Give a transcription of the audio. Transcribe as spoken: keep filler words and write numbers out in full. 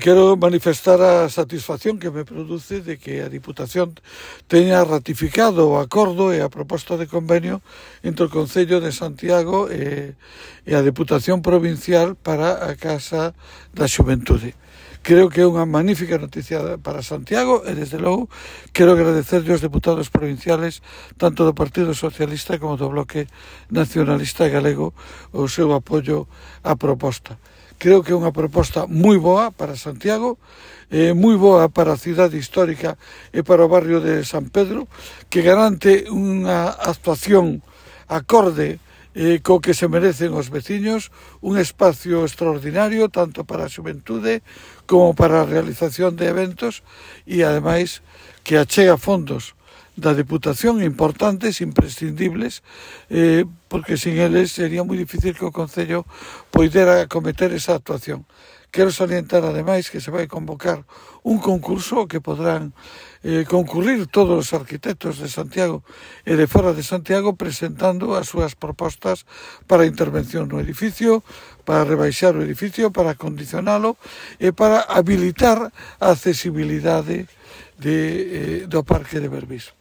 Quero manifestar a satisfacción que me produce de que a Diputación teña ratificado o acordo e a proposta de convenio entre o Concello de Santiago e, e a Deputación Provincial para a Casa da Xuventude. Creo que é unha magnífica noticia para Santiago e, desde logo, quero agradecerlle aos deputados provinciales tanto do Partido Socialista como do Bloque Nacionalista Galego o seu apoio á proposta. Creo que é unha proposta moi boa para Santiago, eh, moi boa para a cidade histórica e para o barrio de San Pedro, que garante unha actuación acorde eh, co que se merecen os veciños, un espacio extraordinario tanto para a xuventude como para a realización de eventos e, ademais, que achega fondos da Deputación importantes, imprescindibles, eh, porque sin eles sería moi difícil que o Concello poidera acometer esa actuación. Quero salientar, ademais, que se vai convocar un concurso que podrán eh, concurrir todos os arquitectos de Santiago e de fora de Santiago presentando as súas propostas para a intervención no edificio, para rebaixar o edificio, para acondicionalo e para habilitar a accesibilidade de, eh, do Parque de Berbís.